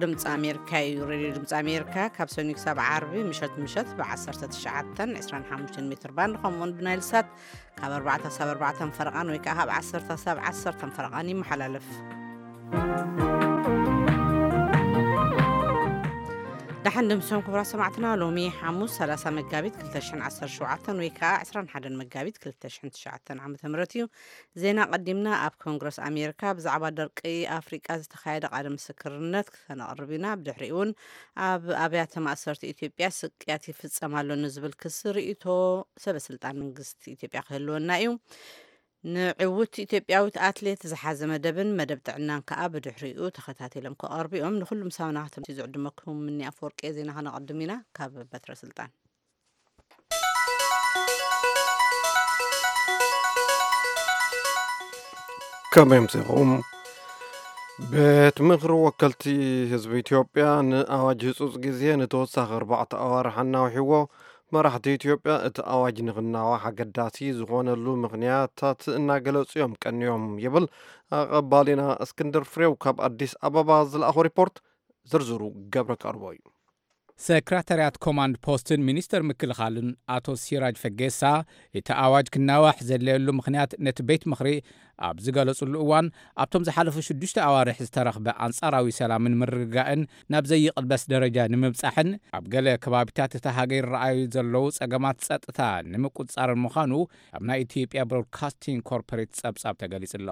ድምፂ ኣሜሪካ እዩ። ሬድዮ ድምፂ ኣሜሪካ ካብ ሰኞ ክሳብ ዓርቢ ምሸት ምሸት ብ19 25 ሜትር ባንድ ከምኡውን ብናይል ሳት ካብ ኣርባዕተ ክሳብ ኣርባዕተ ፈረቓን ወይ ከዓ ካብ ዓሰርተ ክሳብ ዓሰርተ ፈረቓን ይመሓላለፍ። ደሓን ድምሶም ክቡራት ሰማዕትና፣ ሎሚ ሓሙስ 30 መጋቢት 2017 ወይ ከዓ 21 መጋቢት 2009 ዓ.ም እዩ። ዜና ቀዲምና ኣብ ኮንግረስ ኣሜሪካ ብዛዕባ ደርቂ ኣፍሪቃ ዝተኻየደ ቃለ ምስክርነት ክነቕርብ ኢና። ብድሕሪኡ እውን ኣብ ኣብያተ ማእሰርቲ ኢትዮጵያ ስቅያት ይፍጸም ኣሎ ንዝብል ክሲ ርእይቶ ሰበስልጣን መንግስቲ ኢትዮጵያ ክህልወና እዩ። ንዕውት ኢትዮጵያዊት ኣትሌት ዝሓዘ መደብን መደብ ጥዕናን ከኣ ብድሕሪኡ ተኸታቲሎም ክቐርቡ እዮም። ንኹሉም ሳብና ክትምቲ ዝዕድመኩም ምኒ ኣፈወርቂ ዜና ከነቐድም ኢና ካብ በትረ ስልጣን። ከመይ ኣምሲኹም? ቤት ምኽሪ ወከልቲ ህዝቢ ኢትዮጵያ ንኣዋጅ ህጹጽ ግዜ ንተወሳኺ ኣርባዕተ ኣዋርሕ ኣናውሕዎ። መራሕቲ ኢትዮጵያ እቲ ኣዋጅ ንኽናዋሕ ኣገዳሲ ዝኾነሉ ምኽንያታት እናገለጹ እዮም ቀንዮም ይብል ኣቐባሊና እስክንድር ፍሬው ካብ ኣዲስ ኣበባ ዝለኣኾ ሪፖርት። ዝርዝሩ ገብረ ቀርቦ እዩ። ሰክራታርያት ኮማንድ ፖስትን ሚኒስተር ምክልኻልን ኣቶ ሲራጅ ፈጌሳ፣ እቲ ኣዋጅ ክናዋሕ ዘድለየሉ ምኽንያት ነቲ ቤት ምኽሪ ኣብ ዝገለጹሉ እዋን፣ ኣብቶም ዝሓለፉ ሽዱሽተ ኣዋርሕ ዝተረኽበ ኣንጻራዊ ሰላምን ምርግጋእን ናብ ዘይቕልበስ ደረጃ ንምብጻሕን ኣብ ገለ ከባቢታት እታ ሃገር ይረኣዩ ዘለዉ ጸገማት ጸጥታ ንምቁጽጻርን ምዃኑ ኣብ ናይ ኢትዮጵያ ብሮድካስቲንግ ኮርፖሬት ጸብጻብ ተገሊጹ ኣሎ።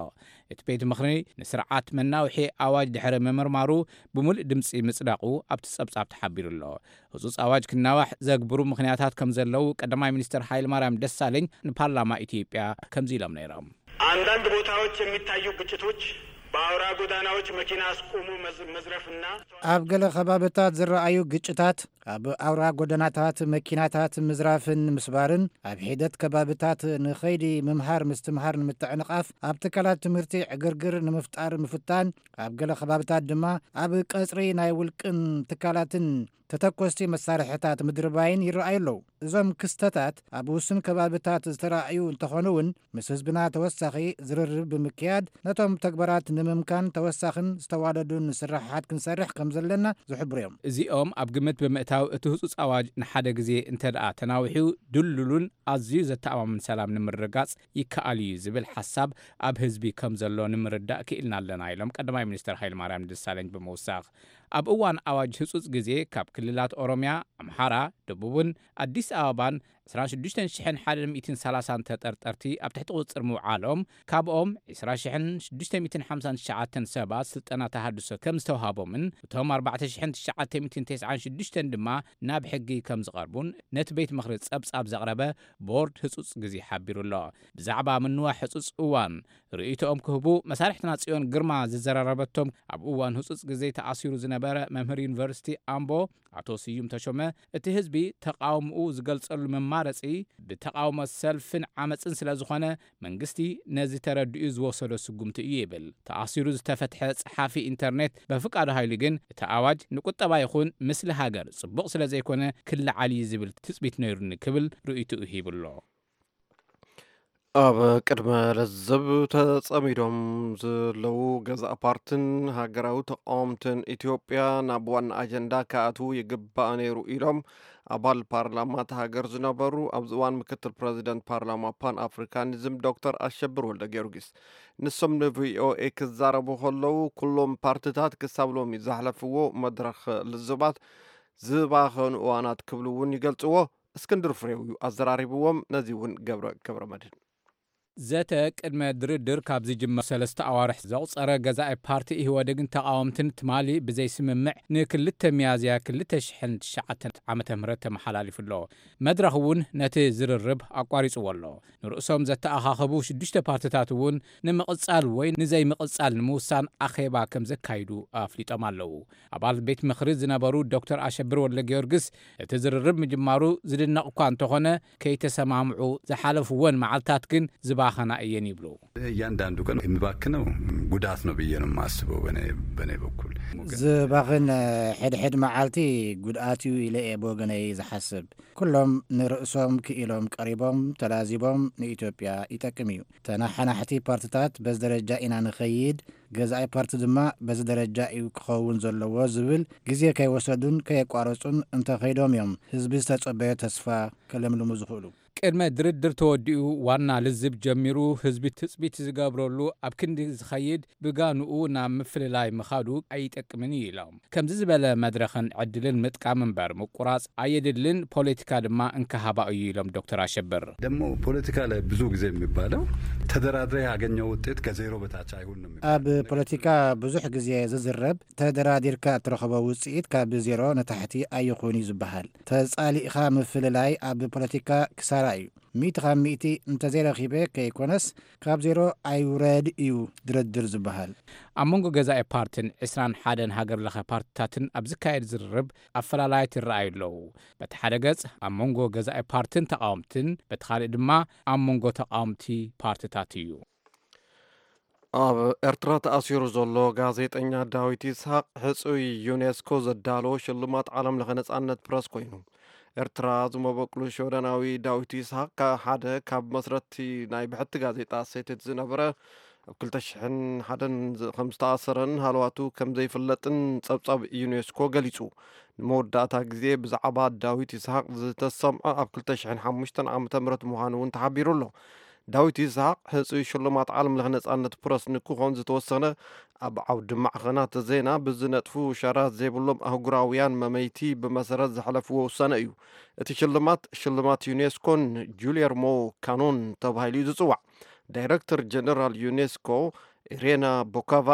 እቲ ቤት ምኽሪ ንስርዓት መናውሒ ኣዋጅ ድሕሪ ምምርማሩ ብምሉእ ድምጺ ምጽዳቑ ኣብቲ ጸብጻብ ተሓቢሩ ኣሎ። ህጹጽ ኣዋጅ ክናዋሕ ዘግብሩ ምኽንያታት ከም ዘለዉ ቀዳማይ ሚኒስትር ሃይለማርያም ደሳለኝ ንፓርላማ ኢትዮጵያ ከምዚ ኢሎም ነይሮም። አንዳንድ ቦታዎች የሚታዩ ግጭቶች በአውራ ጎዳናዎች መኪና አስቆሙ መዝ- መዝረፍና ኣብ ገለ ከባብታት ዝረኣዩ ግጭታት ኣብ ኣውራ ጎደናታት መኪናታት ምዝራፍን ምስባርን፣ ኣብ ሒደት ከባብታት ንኸይዲ ምምሃር ምስትምሃር ንምትዕንቓፍ፣ ኣብ ትካላት ትምህርቲ ዕግርግር ንምፍጣር ምፍታን፣ ኣብ ገለ ከባብታት ድማ ኣብ ቀጽሪ ናይ ውልቅን ትካላትን ተተኮስቲ መሳርሕታት ምድርባይን ይረኣዩ ኣለዉ። እዞም ክስተታት ኣብ ውሱን ከባብታት ዝተራእዩ እንተኾኑ እውን፣ ምስ ህዝብና ተወሳኺ ዝርርብ ብምክያድ ነቶም ተግባራት ንምምካን ተወሳኽን ዝተዋደዱን ስራሓት ክንሰርሕ ከም ዘለና ዝሕብሩ እዮም። እዚኦም ኣብ ግምት ብምእታው እቲ ህጹጽ ኣዋጅ ንሓደ ግዜ እንተ ደኣ ተናዊሑ ድልዱሉን ኣዝዩ ዘተኣማምን ሰላም ንምርግጋጽ ይከኣል እዩ ዝብል ሓሳብ ኣብ ህዝቢ ከም ዘሎ ንምርዳእ ክኢልና ኣለና ኢሎም ቀዳማይ ሚኒስትር ሃይለማርያም ደሳለኝ ብምውሳኽ። ኣብ እዋን ኣዋጅ ህጹጽ ግዜ ካብ ክልላት ኦሮሚያ፣ ኣምሓራ፣ ደቡብን ኣዲስ ኣበባን 26,130 ተጠርጠርቲ ኣብ ትሕቲ ቁጽጽር ምውዓሎም፣ ካብኦም 20,659 ሰባት ስልጠና ተሃድሶ ከም ዝተውሃቦምን እቶም 4,996 ድማ ናብ ሕጊ ከም ዝቐርቡን ነቲ ቤት ምኽሪ ጸብጻብ ዘቕረበ ቦርድ ህጹጽ ግዜ ሓቢሩ ኣሎ። ብዛዕባ ምንዋሕ ህጹጽ እዋን ርእይቶኦም ክህቡ መሳርሕትና ጽዮን ግርማ ዝዘራረበቶም ኣብ እዋን ህጹጽ ግዜ ተኣሲሩ ዝነበረ መምህር ዩኒቨርሲቲ ኣምቦ ኣቶ ስዩም ተሾመ፣ እቲ ህዝቢ ተቃውምኡ ዝገልጸሉ መማረጺ ብተቃውሞ ሰልፍን ዓመጽን ስለ ዝኾነ መንግስቲ ነዚ ተረዲኡ ዝወሰዶ ስጉምቲ እዩ ይብል። ተኣሲሩ ዝተፈትሐ ጸሓፊ ኢንተርኔት በፍቃዱ ሃይሉ ግን እቲ ኣዋጅ ንቁጠባ ይኹን ምስሊ ሃገር ጽቡቕ ስለ ዘይኮነ ክለዓል እዩ ዝብል ትጽቢት ነይሩኒ ክብል ርእይትኡ ሂብሎ። ኣብ ቅድመ ለዘብ ተጸሚዶም ዘለዉ ገዛእ ፓርትን ሃገራዊ ተቃወምትን ኢትዮጵያ ናብ ዋና ኣጀንዳ ክኣትዉ ይግባእ ነይሩ ኢሎም ኣባል ፓርላማ እታ ሃገር ዝነበሩ ኣብዚ እዋን ምክትል ፕረዚደንት ፓርላማ ፓን ኣፍሪካኒዝም ዶክተር ኣሸብር ወልደ ጊዮርጊስ። ንሶም ንቪኦኤ ክዛረቡ ከለዉ ኩሎም ፓርትታት ክሳብ ሎሚ ዘሕለፍዎ መድረኽ ልዝባት ዝባኸኑ እዋናት ክብሉ እውን ይገልጽዎ። እስክንድር ፍሬው እዩ ኣዘራሪብዎም። ነዚ እውን ገብረ ገብረ መድህን። ዘተ ቅድመ ድርድር ካብ ዝጅመር ሰለስተ ኣዋርሕ ዘቑጸረ ገዛኢ ፓርቲ ኢህወዴግን ተቓወምትን ትማሊ ብዘይስምምዕ ንክልተ ሚያዝያ 2009 ዓመተ ምህረት ተመሓላሊፉ ኣሎ። መድረኽ እውን ነቲ ዝርርብ ኣቋሪጽዎ ኣሎ። ንርእሶም ዘተኣኻኸቡ ሽዱሽተ ፓርትታት እውን ንምቕጻል ወይ ንዘይምቕጻል ንምውሳን ኣኼባ ከም ዘካይዱ ኣፍሊጦም ኣለዉ። ኣባል ቤት ምኽሪ ዝነበሩ ዶክተር ኣሸብር ወልደ ጊዮርጊስ እቲ ዝርርብ ምጅማሩ ዝድነቕ እኳ እንተኾነ ከይተሰማምዑ ዝሓለፍወን መዓልታት ግን ዝባ ኣኸና እየን ይብሉ። እያንዳንዱ ቀን የሚባክነው ጉዳት ነው ብዬ ነው የማስበው። በእኔ በእኔ በኩል ዝባኽን ሕድሕድ መዓልቲ ጉድኣት እዩ ኢለ እየ ብወገነይ ዝሓስብ። ኩሎም ንርእሶም ክኢሎም ቀሪቦም ተላዚቦም ንኢትዮጵያ ይጠቅም እዩ። ተናሓናሕቲ ፓርትታት በዚ ደረጃ ኢና ንኸይድ፣ ገዛኢ ፓርቲ ድማ በዚ ደረጃ እዩ ክኸውን ዘለዎ ዝብል ግዜ ከይወሰዱን ከየቋረጹን እንተኸይዶም እዮም ህዝቢ ዝተጸበዮ ተስፋ ከለምልሙ ዝኽእሉ። ቅድመ ድርድር ተወዲኡ ዋና ልዝብ ጀሚሩ ህዝቢ ትጽቢት ዝገብረሉ ኣብ ክንዲ ዝኸይድ ብጋንኡ ናብ ምፍልላይ ምኻዱ ኣይጠቅምን እዩ ኢሎም። ከምዚ ዝበለ መድረኽን ዕድልን ምጥቃም እምበር ምቁራጽ ኣየድልን፣ ፖለቲካ ድማ እንካሃባ እዩ ኢሎም ዶክተር ኣሸብር። ደግሞ ፖለቲካ ላይ ብዙ ጊዜ የሚባለው ተደራድረ ያገኘው ውጤት ከዜሮ በታች አይሁን ነው የሚባለው። ኣብ ፖለቲካ ብዙሕ ግዜ ዝዝረብ ተደራዲርካ እትረኽቦ ውፅኢት ካብ ዜሮ ንታሕቲ ኣይኹን እዩ ዝበሃል። ተፃሊእኻ ምፍልላይ ኣብ ፖለቲካ ክሳራ እዩ። ሚእቲ ካብ ሚእቲ እንተዘይረኺበ ከይኮነስ ካብ ዜሮ ኣይውረድ እዩ ድርድር ዝበሃል። ኣብ መንጎ ገዛኢ ፓርትን ዕስራን ሓደን ሃገር ለኸ ፓርትታትን ኣብ ዝካየድ ዝርርብ ኣፈላላያት ይረኣዩ ኣለዉ። በቲ ሓደ ገጽ ኣብ መንጎ ገዛኢ ፓርትን ተቓወምትን፣ በቲ ካልእ ድማ ኣብ መንጎ ተቓወምቲ ፓርትታት እዩ። ኣብ ኤርትራ ተኣሲሩ ዘሎ ጋዜጠኛ ዳዊት ይስሐቅ ሕጹይ ዩኔስኮ ዘዳለዎ ሽልማት ዓለም ለኸ ነጻነት ፕረስ ኮይኑ። ኤርትራ ዝመበቅሉ ሽወደናዊ ዳዊት ይስሐቅ ካ- ሓደ ካብ መስረቲ ናይ ብሕቲ ጋዜጣ ሴትት ዝነበረ ኣብ ክልተ ሽሕን ሓደን ዝ- ከም ዝተኣሰረን ሃለዋቱ ከም ዘይፍለጥን ጸብጻብ ዩኔስኮ ገሊጹ። ንመወዳእታ ግዜ ብዛዕባ ዳዊት ይስሐቅ ዝተሰምዐ ኣብ ክልተ ሽሕን ሓሙሽተን ዓመተ ምህረት ምዃኑ እውን ተሓቢሩ ኣሎ። ዳዊት ይስሐቅ ሕጹይ ሽልማት ዓለም ለኸ ነጻነት ፕረስ ንክኾን ዝተወሰነ ኣብ ዓውዲ ማዕኸናት ዜና ብዝነጥፉ ሸራት ዘይብሎም ኣህጉራውያን መመይቲ ብመሰረት ዘሕለፍዎ ውሳነ እዩ። እቲ ሽልማት ሽልማት ዩኔስኮን ጁልየርሞ ካኖን ተባሂሉ እዩ ዝጽዋዕ። ዳይረክተር ጀነራል ዩኔስኮ ኢሬና ቦካቫ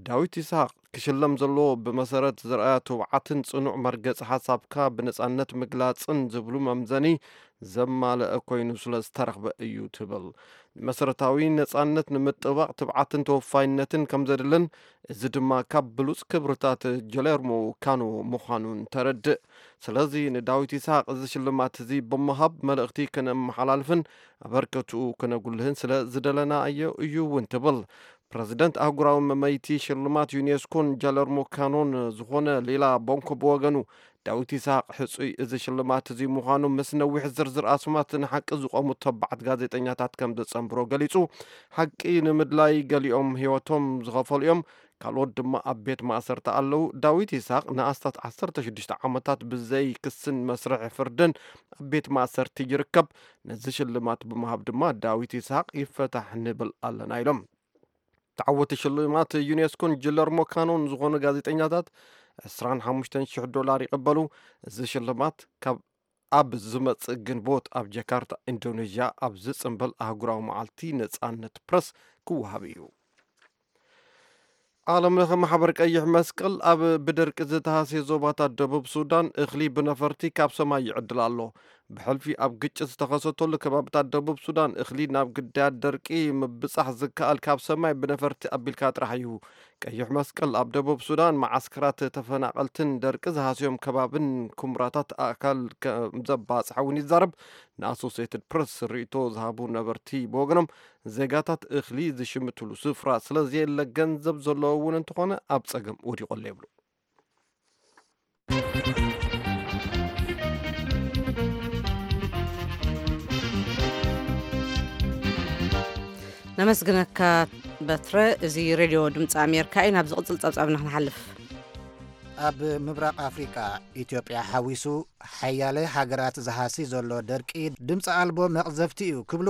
ዳዊት ይስሐቅ ክሽለም ዘለዎ ብመሰረት ዝረኣያ ትብዓትን ጽኑዕ መርገጺ ሓሳብካ ብነጻነት ምግላጽን ዝብሉ መምዘኒ ዘማልአ ኮይኑ ስለ ዝተረኽበ እዩ ትብል። ንመሰረታዊ ነጻነት ንምጥባቕ ትብዓትን ተወፋይነትን ከም ዘድልን፣ እዚ ድማ ካብ ብሉጽ ክብርታት ጀሌርሞ ካኖ ምዃኑን ተረድእ። ስለዚ ንዳዊት ይስሐቅ እዚ ሽልማት እዚ ብምሃብ መልእኽቲ ከነመሓላልፍን ኣበርከትኡ ከነጉልህን ስለ ዝደለናዮ እዩ እውን ትብል። ፕረዚደንት ኣህጉራዊ መመይቲ ሽልማት ዩኔስኮን ጃለርሞ ካኖን ዝኾነ ሌላ ቦንኮ ብወገኑ፣ ዳዊት ይስሐቅ ሕጹይ እዚ ሽልማት እዚ ምዃኑ ምስ ነዊሕ ዝርዝር ኣስማት ንሓቂ ዝቖሙ ተባዓት ጋዜጠኛታት ከም ዘጸንብሮ ገሊጹ። ሓቂ ንምድላይ ገሊኦም ህይወቶም ዝኸፈሉ እዮም፣ ካልኦት ድማ ኣብ ቤት ማእሰርቲ ኣለዉ። ዳዊት ይስሐቅ ንኣስታት ዓሰርተ ሽዱሽተ ዓመታት ብዘይ ክስን መስርሕ ፍርድን ኣብ ቤት ማእሰርቲ ይርከብ። ነዚ ሽልማት ብምሃብ ድማ ዳዊት ይስሐቅ ይፈታሕ ንብል ኣለና ኢሎም። ተዓወቲ ሽልማት ዩኔስኮን ጅለርሞ ካኖን ዝኾኑ ጋዜጠኛታት ዕስራን ሓሙሽተን ሽሕ ዶላር ይቕበሉ። እዚ ሽልማት ካብ ኣብ ዝመጽእ ግንቦት ኣብ ጃካርታ ኢንዶኔዥያ ኣብ ዝጽንበል ኣህጉራዊ መዓልቲ ነጻነት ፕረስ ክወሃብ እዩ። ዓለም ለኸ ማሕበር ቀይሕ መስቀል ኣብ ብደርቂ ዝተሃስየ ዞባታት ደቡብ ሱዳን እኽሊ ብነፈርቲ ካብ ሰማይ ይዕድል ኣሎ። ብሕልፊ ኣብ ግጭት ዝተኸሰተሉ ከባብታት ደቡብ ሱዳን እኽሊ ናብ ግዳያት ደርቂ ምብጻሕ ዝከኣል ካብ ሰማይ ብነፈርቲ ኣቢልካ ጥራሕ እዩ። ቀይሕ መስቀል ኣብ ደቡብ ሱዳን መዓስከራት ተፈናቐልትን ደርቂ ዝሃስዮም ከባብን ኩምራታት ኣእካል ከም ዘባጽሐ እውን ይዛረብ። ንኣሶሴትድ ፕረስ ርእይቶ ዝሃቡ ነበርቲ ብወገኖም ዜጋታት እኽሊ ዝሽምትሉ ስፍራ ስለ ዘየለ ገንዘብ ዘለዎ እውን እንተኾነ ኣብ ጸገም ወዲቑ ኣሎ ይብሉ። ነመስግነካ በትረ። እዚ ሬድዮ ድምፂ ኣሜሪካ እዩ። ናብ ዝቕፅል ፀብፃብ ንክንሓልፍ ኣብ ምብራቕ ኣፍሪቃ ኢትዮጵያ ሓዊሱ ሓያለ ሃገራት ዝሃሲ ዘሎ ደርቂ ድምፂ ኣልቦ መቕዘፍቲ እዩ ክብሉ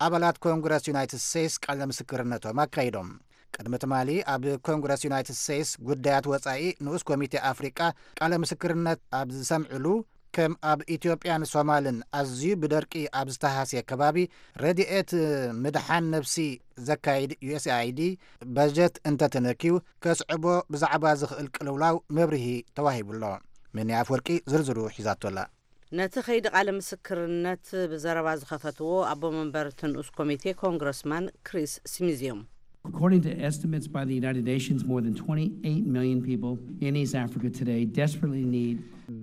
ኣባላት ኮንግረስ ዩናይትድ ስቴትስ ቃለ ምስክርነቶም ኣካይዶም። ቅድሚ ትማሊ ኣብ ኮንግረስ ዩናይትድ ስቴትስ ጉዳያት ወጻኢ ንኡስ ኮሚቴ ኣፍሪቃ ቃለ ምስክርነት ኣብ ዝሰምዕሉ ከም ኣብ ኢትዮጵያን ሶማልን ኣዝዩ ብደርቂ ኣብ ዝተሃስየ ከባቢ ረድኤት ምድሓን ነብሲ ዘካይድ ዩኤስኣይዲ በጀት እንተተነክዩ ከስዕቦ ብዛዕባ ዝኽእል ቅልውላው መብርሂ ተዋሂቡ ኣሎ። ምንያ ኣፍወርቂ ዝርዝሩ ሒዛቶ ኣላ። ነቲ ከይዲ ቃለ ምስክርነት ብዘረባ ዝኸፈትዎ ኣቦ መንበር እቲ ንኡስ ኮሚቴ ኮንግረስማን ክሪስ ስሚዝ እዮም። According to estimates by the United Nations, more than twenty-eight million people in East Africa today desperately need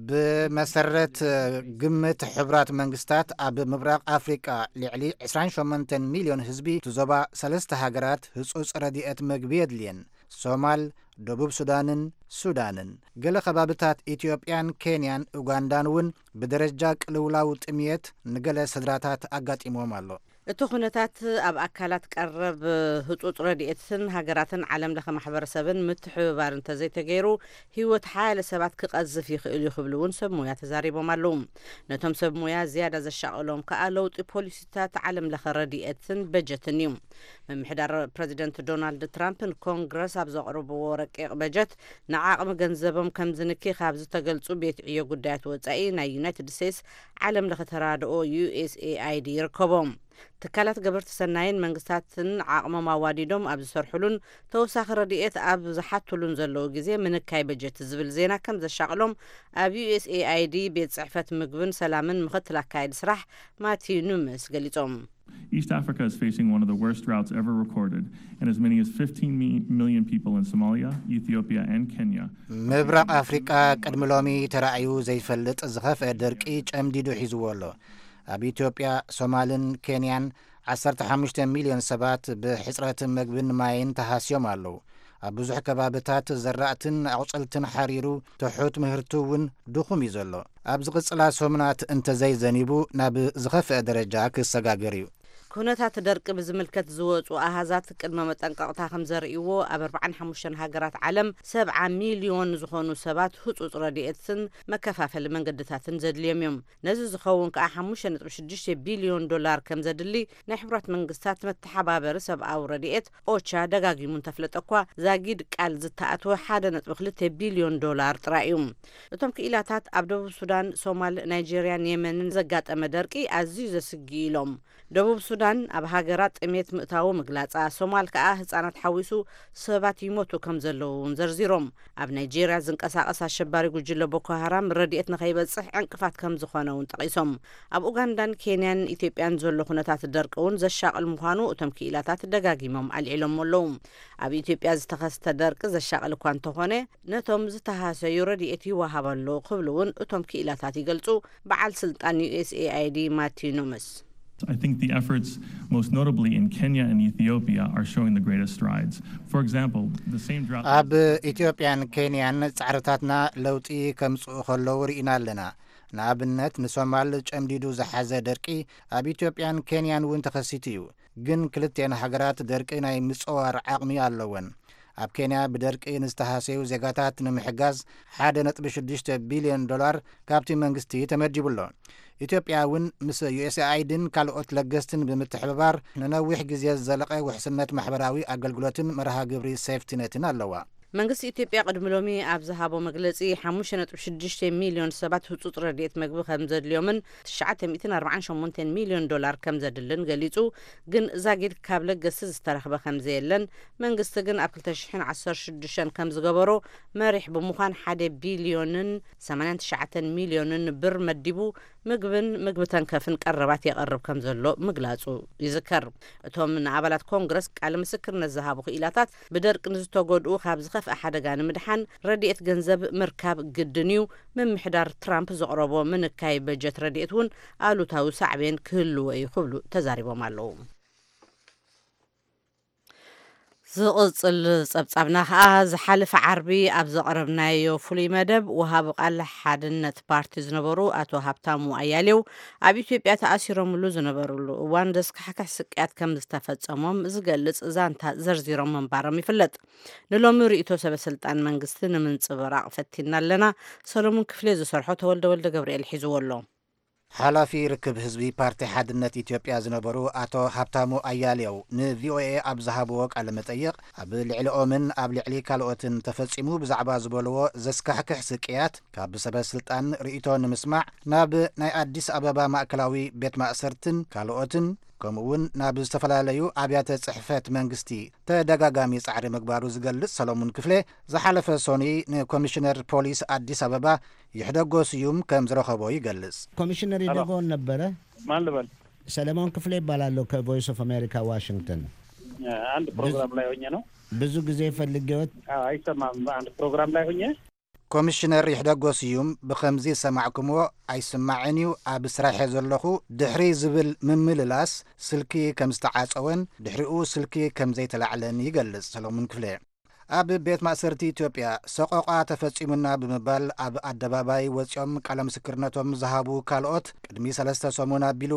ብመሰረት ግምት ሕቡራት መንግስታት፣ ኣብ ምብራቕ ኣፍሪቃ ልዕሊ ዕስራን ሸሞንተን ሚልዮን ህዝቢ እቲ ዞባ ሰለስተ ሃገራት ህጹጽ ረድኤት መግቢ የድልየን። ሶማል፣ ደቡብ ሱዳንን ሱዳንን። ገለ ከባብታት ኢትዮጵያን ኬንያን ኡጋንዳን እውን ብደረጃ ቅልውላው ጥምየት ንገለ ስድራታት ኣጋጢምዎም ኣሎ። እቲ ኩነታት ኣብ ኣካላት ቀረብ ህጹጽ ረድኤትን ሃገራትን ዓለም ለኸ ማሕበረሰብን ምትሕብባር እንተዘይተገይሩ፣ ህይወት ሓያለ ሰባት ክቐዝፍ ይኽእል እዩ ክብሉ እውን ሰብ ሞያ ተዛሪቦም ኣለዉ። ነቶም ሰብ ሞያ ዝያዳ ዘሻቐሎም ከኣ ለውጢ ፖሊሲታት ዓለም ለኸ ረድኤትን በጀትን እዩ። ምምሕዳር ፕረዚደንት ዶናልድ ትራምፕ ንኮንግረስ ኣብ ዘቕርብዎ ረቂቕ በጀት ንዓቕሚ ገንዘቦም ከም ዝንኪ ካብ ዝተገልጹ ቤት ዕዮ ጉዳያት ወጻኢ ናይ ዩናይትድ ስቴትስ ዓለም ለኸ ተራድኦ ዩ ኤስ ኤ ኣይ ዲ ይርከቦም። ትካላት ገበርቲ ሰናይን መንግስታትን ዓቕሞም ኣዋዲዶም ኣብ ዝሰርሕሉን ተወሳኺ ረድኤት ኣብ ዝሓትሉን ዘለዉ ግዜ ምንካይ በጀት ዝብል ዜና ከም ዘሻቕሎም ኣብ ዩ ኤስ ኤ ኣይ ዲ ቤት ጽሕፈት ምግብን ሰላምን ምኽትል ኣካየዲ ስራሕ ማቲዩ ኑምስ ገሊጾም። East Africa is facing one of the worst droughts ever recorded, and as many as fifteen million people in Somalia, Ethiopia, and Kenya ምብራቕ ኣፍሪቃ ቅድሚ ሎሚ ተራእዩ ዘይፈልጥ ዝኸፍአ ደርቂ ጨምዲዱ ሒዝዎ ኣሎ። ኣብ ኢትዮጵያ፣ ሶማልን ኬንያን ዓሰርተ ሓሙሽተ ሚልዮን ሰባት ብሕጽረት መግብን ማይን ተሃስዮም ኣለዉ። ኣብ ብዙሕ ከባብታት ዘራእትን ኣቑጽልትን ሓሪሩ፣ ትሑት ምህርቲ እውን ድኹም እዩ ዘሎ። ኣብ ዝቕጽላ ሰሙናት እንተዘይዘኒቡ፣ ናብ ዝኸፍአ ደረጃ ክሰጋገር እዩ። ኩነታት ደርቂ ብዝምልከት ዝወጹ ኣሃዛት ቅድመ መጠንቀቕታ ከም ዘርእይዎ፣ ኣብ ኣርባዓን ሓሙሽተን ሃገራት ዓለም ሰብዓ ሚልዮን ዝኾኑ ሰባት ህጹጽ ረድኤትን መከፋፈሊ መንገድታትን ዘድልዮም እዮም። ነዚ ዝኸውን ከኣ ሓሙሽተ ነጥቢ ሽዱሽተ ቢልዮን ዶላር ከም ዘድሊ ናይ ሕቡራት መንግስታት መተሓባበሪ ሰብኣዊ ረድኤት ኦቻ ደጋጊሙ እንተፍለጠ እኳ፣ ዛጊድ ቃል ዝተኣትወ ሓደ ነጥቢ ክልተ ቢልዮን ዶላር ጥራይ እዩ። እቶም ክኢላታት ኣብ ደቡብ ሱዳን፣ ሶማል፣ ናይጄርያን የመንን ዘጋጠመ ደርቂ ኣዝዩ ዘስግእ ኢሎም። ደቡብ ሱዳን ኣብ ሃገራ ጥሜት ምእታዉ ምግላጻ፣ ሶማል ከኣ ህጻናት ሓዊሱ ሰባት ይሞቱ ከም ዘለዉ እውን ዘርዚሮም። ኣብ ናይጄርያ ዝንቀሳቐስ ኣሸባሪ ጉጅለ ቦኮ ሃራም ረድኤት ንኸይበጽሕ ዕንቅፋት ከም ዝኾነ እውን ጠቒሶም። ኣብ ኡጋንዳን ኬንያን ኢትዮጵያን ዘሎ ኩነታት ደርቂ እውን ዘሻቕል ምዃኑ እቶም ክኢላታት ደጋጊሞም ኣልዒሎሞ ኣለዉ። ኣብ ኢትዮጵያ ዝተኸስተ ደርቂ ዘሻቕል እኳ እንተኾነ፣ ነቶም ዝተሃሰዩ ረድኤት ይወሃብ ኣሎ ክብሉ እውን እቶም ክኢላታት ይገልጹ። በዓል ስልጣን ዩ ኤስ ኤ ኣይ ዲ ማቲዩ ኑምስ። I think the efforts, most notably in Kenya and Ethiopia, are showing the greatest strides. For example, the same drought ኣብ ኢትዮጵያን ኬንያን ጻዕርታትና ለውጢ ከምጽኡ ከለዉ ርኢና ኣለና። ንኣብነት፣ ንሶማል ጨምዲዱ ዝሓዘ ደርቂ ኣብ ኢትዮጵያን ኬንያን እውን ተኸሲቱ እዩ። ግን ክልቲኤን ሃገራት ደርቂ ናይ ምጽዋር ዓቕሚ ኣለወን። ኣብ ኬንያ ብደርቂ ንዝተሃሰዩ ዜጋታት ንምሕጋዝ ሓደ ነጥቢ ሽዱሽተ ቢልዮን ዶላር ካብቲ መንግስቲ ተመዲቡ ኣሎ። ኢትዮጵያ እውን ምስ ዩ ኤስ ኤ ኣይ ዲን ካልኦት ለገስትን ብምትሕብባር ንነዊሕ ግዜ ዝዘለቐ ውሕስነት ማሕበራዊ ኣገልግሎትን መርሃ ግብሪ ሴፍቲነትን ኣለዋ። መንግስቲ ኢትዮጵያ ቅድሚ ሎሚ ኣብ ዝሃቦ መግለጺ፣ ሓሙሽተ ነጥቢ ሽዱሽተ ሚልዮን ሰባት ህጹጽ ረድኤት መግቢ ከም ዘድልዮምን ትሽዓተ ሚእትን ኣርባዓን ሸሞንተን ሚልዮን ዶላር ከም ዘድልን ገሊጹ። ግን ዛጊድ ካብ ለገስቲ ዝተረኽበ ከም ዘየለን፣ መንግስቲ ግን ኣብ ክልተ ሽሕን ዓሰርተ ሽዱሽተን ከም ዝገበሮ መሪሕ ብምዃን ሓደ ቢልዮንን ሰማንያን ትሽዓተን ሚልዮንን ብር መዲቡ ምግብን ምግቢ ተንከፍን ቀረባት የቐርብ ከም ዘሎ ምግላጹ ይዝከር። እቶም ንኣባላት ኮንግረስ ቃለ ምስክርነት ዝሃቡ ክኢላታት፣ ብደርቂ ንዝተጎድኡ ካብ ዝኸፍአ ሓደጋ ንምድሓን ረድኤት ገንዘብ ምርካብ ግድን እዩ፣ ምምሕዳር ትራምፕ ዘቕረቦ ምንካይ በጀት ረድኤት እውን ኣሉታዊ ሳዕቤን ክህልዎ እዩ ክብሉ ተዛሪቦም ኣለዉ። ዝቕጽል ጸብጻብና ከኣ፣ ዝሓለፈ ዓርቢ ኣብ ዘቕረብናዮ ፍሉይ መደብ፣ ወሃቢ ቃል ሓድነት ፓርቲ ዝነበሩ ኣቶ ሃብታሙ ኣያሌው፣ ኣብ ኢትዮጵያ ተኣሲሮምሉ ዝነበርሉ እዋን ዘስካሕክሕ ስቅያት ከም ዝተፈጸሞም ዝገልጽ ዛንታ ዘርዚሮም ምንባሮም ይፍለጥ። ንሎሚ ርእይቶ ሰበ ስልጣን መንግስቲ ንምንጽብራቕ ፈቲና ኣለና። ሰሎሙን ክፍሌ ዝሰርሖ ተወልደ ወልደ ገብርኤል ሒዝዎ ኣሎ። ሓላፊ ርክብ ህዝቢ ፓርቲ ሓድነት ኢትዮጵያ ዝነበሩ ኣቶ ሃብታሙ ኣያሌው ን ቪ ኦ ኤ ኣብ ዝሃብዎ ቃለ መጠይቕ፣ ኣብ ልዕሊኦምን ኣብ ልዕሊ ካልኦትን ተፈጺሙ ብዛዕባ ዝበልዎ ዘስካሕክሕ ስቅያት፣ ካብ ሰበ ስልጣን ርእይቶ ንምስማዕ ናብ ናይ ኣዲስ ኣበባ ማእከላዊ ቤት ማእሰርትን ካልኦትን፣ ከምኡ እውን ናብ ዝተፈላለዩ ኣብያተ ጽሕፈት መንግስቲ ተደጋጋሚ ጻዕሪ ምግባሩ ዝገልጽ ሰሎሙን ክፍሌ፣ ዝሓለፈ ሶኒ ንኮሚሽነር ፖሊስ ኣዲስ ኣበባ ይሕደጎ ስዩም ከም ዝረኸቦ ይገልጽ። ኮሚሽነር ይደጎን ነበረ። ማን ልበል? ሰለሞን ክፍሌ ይባላለሁ፣ ከቮይስ ኦፍ ኣሜሪካ ዋሽንግተን። አንድ ፕሮግራም ላይ ሆኜ ነው። ብዙ ጊዜ ፈልጌዎት። አዎ፣ አይሰማም። አንድ ፕሮግራም ላይ ሆኜ። ኮሚሽነር ይሕደጎ ስዩም ብኸምዚ ዝሰማዕኩምዎ ኣይስማዕን እዩ፣ ኣብ ስራሐ ዘለኹ ድሕሪ ዝብል ምምልላስ ስልኪ ከም ዝተዓጸወን ድሕሪኡ ስልኪ ከም ዘይተላዕለን ይገልጽ ሰለሙን ክፍለ። ኣብ ቤት ማእሰርቲ ኢትዮጵያ ሰቆቓ ተፈጺሙና ብምባል ኣብ ኣደባባይ ወጺኦም ቃለ ምስክርነቶም ዝሃቡ ካልኦት ቅድሚ ሰለስተ ሰሙን ኣቢሉ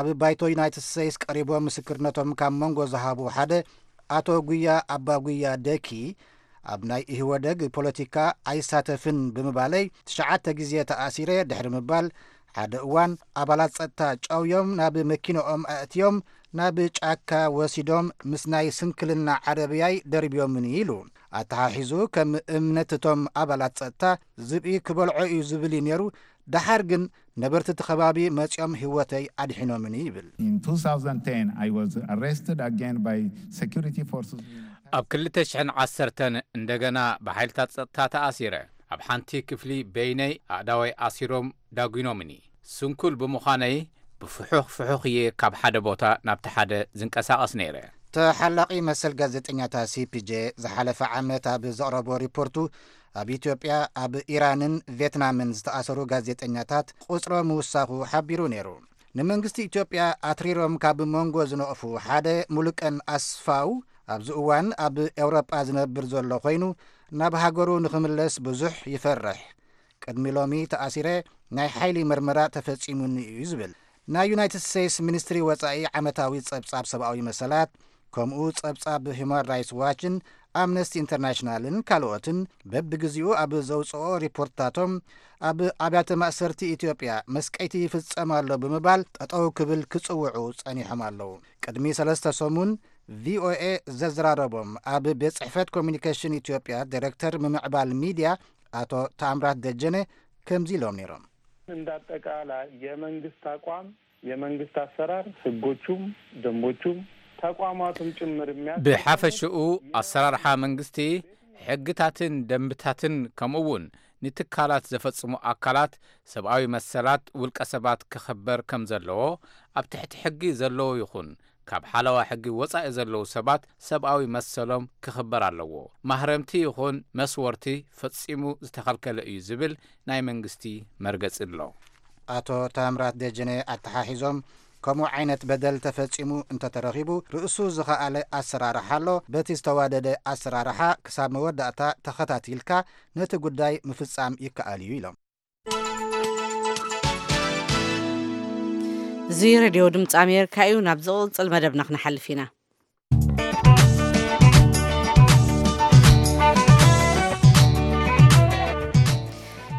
ኣብ ባይቶ ዩናይትድ ስቴትስ ቀሪቦም ምስክርነቶም ካብ መንጎ ዝሃቡ ሓደ ኣቶ ጉያ ኣባ ጉያ ደኪ ኣብ ናይ ኢህወደግ ፖለቲካ ኣይሳተፍን ብምባለይ ትሽዓተ ግዜ ተኣሲረ ድሕሪ ምባል ሓደ እዋን ኣባላት ጸጥታ ጨውዮም ናብ መኪንኦም ኣእትዮም ናብ ጫካ ወሲዶም ምስ ናይ ስንክልና ዓረብያይ ደርብዮምኒ ኢሉ። ኣተሓሒዙ ከም እምነት እቶም ኣባላት ጸጥታ ዝብኢ ክበልዖ እዩ ዝብል እዩ ነይሩ። ደሓር ግን ነበርቲ እቲ ከባቢ መጺኦም ህይወተይ ኣድሒኖምኒ ይብል። In two thousand ten, I was arrested again by security forces. ኣብ ክልተ ሽሕን ዓሰርተን እንደገና ብሓይልታት ጸጥታ ተኣሲረ። ኣብ ሓንቲ ክፍሊ በይነይ ኣእዳወይ ኣሲሮም ዳጒኖምኒ። ስንኩል ብምዃነይ ብፍሑኽ ፍሑኽ እየ ካብ ሓደ ቦታ ናብቲ ሓደ ዝንቀሳቐስ ነይረ። ተሓላቒ መሰል ጋዜጠኛታት ሲ ፒ ጄ ዝሓለፈ ዓመት ኣብ ዘቕረቦ ሪፖርቱ ኣብ ኢትዮጵያ፣ ኣብ ኢራንን ቬትናምን ዝተኣሰሩ ጋዜጠኛታት ቁጽሮም ምውሳኹ ሓቢሩ ነይሩ። ንመንግስቲ ኢትዮጵያ ኣትሪሮም ካብ መንጎ ዝነቕፉ ሓደ ሙሉቀን ኣስፋው ኣብዚ እዋን ኣብ ኤውሮጳ ዝነብር ዘሎ ኮይኑ ናብ ሃገሩ ንኽምለስ ብዙሕ ይፈርሕ። ቅድሚ ሎሚ ተኣሲረ ናይ ሓይሊ መርመራ ተፈጺሙኒ እዩ ዝብል ናይ ዩናይትድ ስቴትስ ሚኒስትሪ ወጻኢ ዓመታዊ ጸብጻብ ሰብኣዊ መሰላት ከምኡ ጸብጻብ ሂውማን ራይትስ ዋችን ኣምነስቲ ኢንተርናሽናልን ካልኦትን በብግዜኡ ኣብ ዘውፅኦ ሪፖርትታቶም ኣብ ኣብያተ ማእሰርቲ ኢትዮጵያ መስቀይቲ ይፍጸም ኣሎ ብምባል ጠጠው ክብል ክጽውዑ ጸኒሖም ኣለዉ። ቅድሚ ሰለስተ ሰሙን ቪ ኦ ኤ ዘዘራረቦም ኣብ ቤት ጽሕፈት ኮሚኒኬሽን ኢትዮጵያ ዳይሬክተር ምምዕባል ሚድያ ኣቶ ታምራት ደጀነ ከምዚ ኢሎም ነይሮም። እንዳጠቃላይ የመንግስት አቋም፣ የመንግስት አሰራር፣ ህጎቹም ደንቦቹም ተቋማቱም ጭምር የሚያስ ብሓፈሽኡ ኣሰራርሓ መንግስቲ ሕግታትን ደንብታትን ከምኡ እውን ንትካላት ዘፈጽሙ ኣካላት ሰብኣዊ መሰላት ውልቀ ሰባት ክኽበር ከም ዘለዎ ኣብ ትሕቲ ሕጊ ዘለዉ ይኹን ካብ ሓለዋ ሕጊ ወጻኢ ዘለዉ ሰባት ሰብኣዊ መሰሎም ክኽበር ኣለዎ። ማህረምቲ ይኹን መስወርቲ ፈጺሙ ዝተኸልከለ እዩ ዝብል ናይ መንግስቲ መርገጺ ኣሎ። ኣቶ ታምራት ደጀነ ኣተሓሒዞም ከምኡ ዓይነት በደል ተፈጺሙ እንተተረኺቡ ርእሱ ዝኸኣለ ኣሰራርሓ ኣሎ። በቲ ዝተዋደደ ኣሰራርሓ ክሳብ መወዳእታ ተኸታቲልካ ነቲ ጉዳይ ምፍጻም ይከኣል እዩ ኢሎም። እዚ ሬድዮ ድምፂ ኣሜሪካ እዩ። ናብ ዝቕፅል መደብና ክንሓልፍ ኢና።